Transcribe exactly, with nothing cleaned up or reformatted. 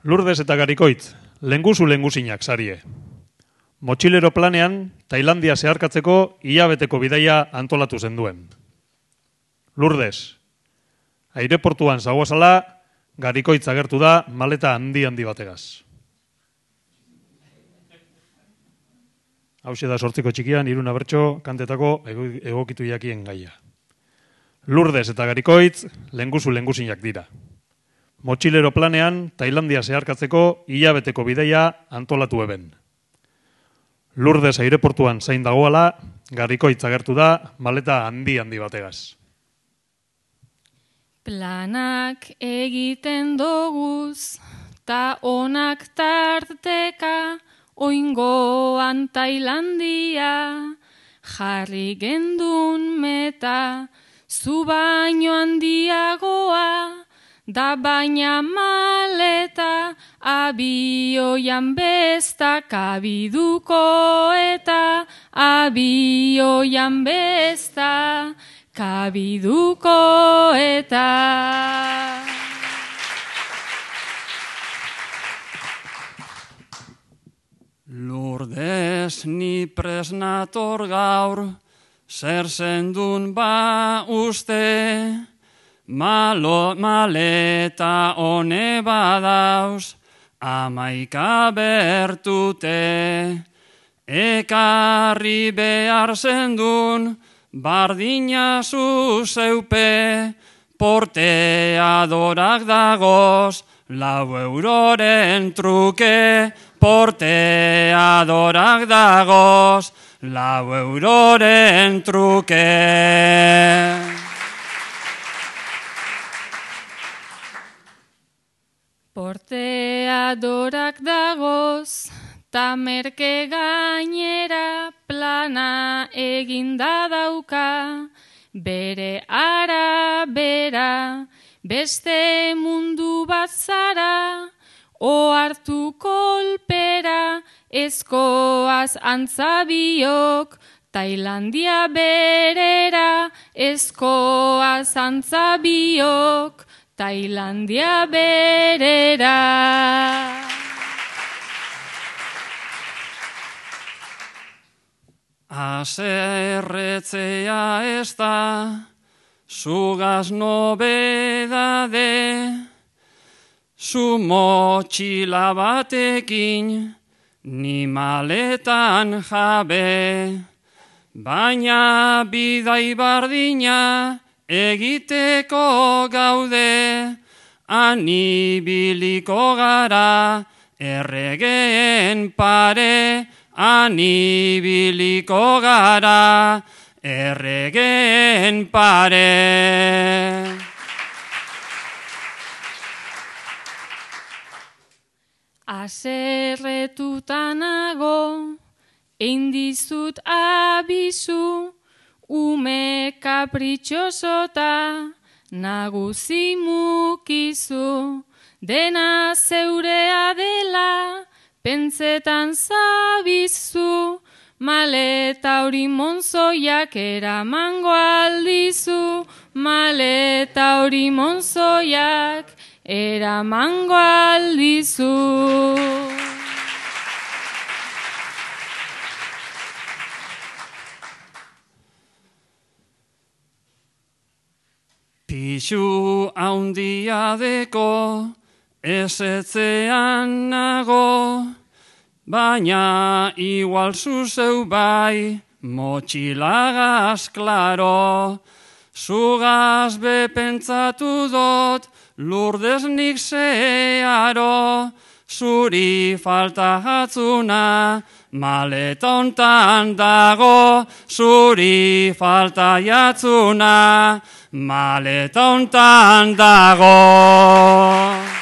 Lourdes eta Garikoitz, lenguzu lenguzinak sarie. Motxilero planean, Tailandia zeharkatzeko hilabeteko bidaia antolatu zenduen. Lourdes, aireportuan zagoazala, Garikoitz agertu da maleta handi-handi bategaz. Hauxe da sortziko txikian, Iruna Bertso, kantetako egokitu jakien gaia. Lourdes eta Garikoitz, lenguzu lenguzinak dira. Motxilero planean, Tailandia zeharkatzeko hilabeteko bidaia antolatu eben. Lourdes aireportuan zain dagoala, Garikoitz agertu da maleta handi-handi bategaz. Planak egiten doguz, ta onak tarteka, oingoan Tailandia, jarri gendun meta, zu baino handiagoa, da baina maleta, abioian bestak abiduko eta, abioian besta, kabiduko eta. Lourdes ni presnator gaur, zer zendun ba uste, Malo, maleta one badauz, amaika bertute, ekarri behar zendun, bardina zuzeupe, porteadorak dagoz, lau euroren truke, porteadorak dagoz, lau euroren truke. Porteadorak dagoz, ta merke gainera plana eginda dauka, bere arabera, beste mundu bat zara, ohartu kolpera, ezkoaz antzabiok, Tailandia berera, ezkoaz antzabiok, Tailandia berera. Aserretzea ez da, zugaz nobedade, zu motxila batekin, ni maletan jabe, baina bidai bardina, egiteko gaude, anibiliko gara, erregeen pare, anibiliko gara, erregeen pare. Aserretutanago, eindizut abizu, ume kapritxosota, nagusi mukizu, dena zeurea dela, pentsetan zabizu, maleta hori monzoiak eramango aldizu, maleta hori monzoiak eramango aldizu. Pixu haundia deko, ezetzean nago, baina igual zuzeu bai, motxilagaz klaro, zugaz bepentsatu dot, Lourdes nik zeharo, zuri falta jatzuna, maleta hontan dago, zuri falta jatzuna, maleta hontan dago.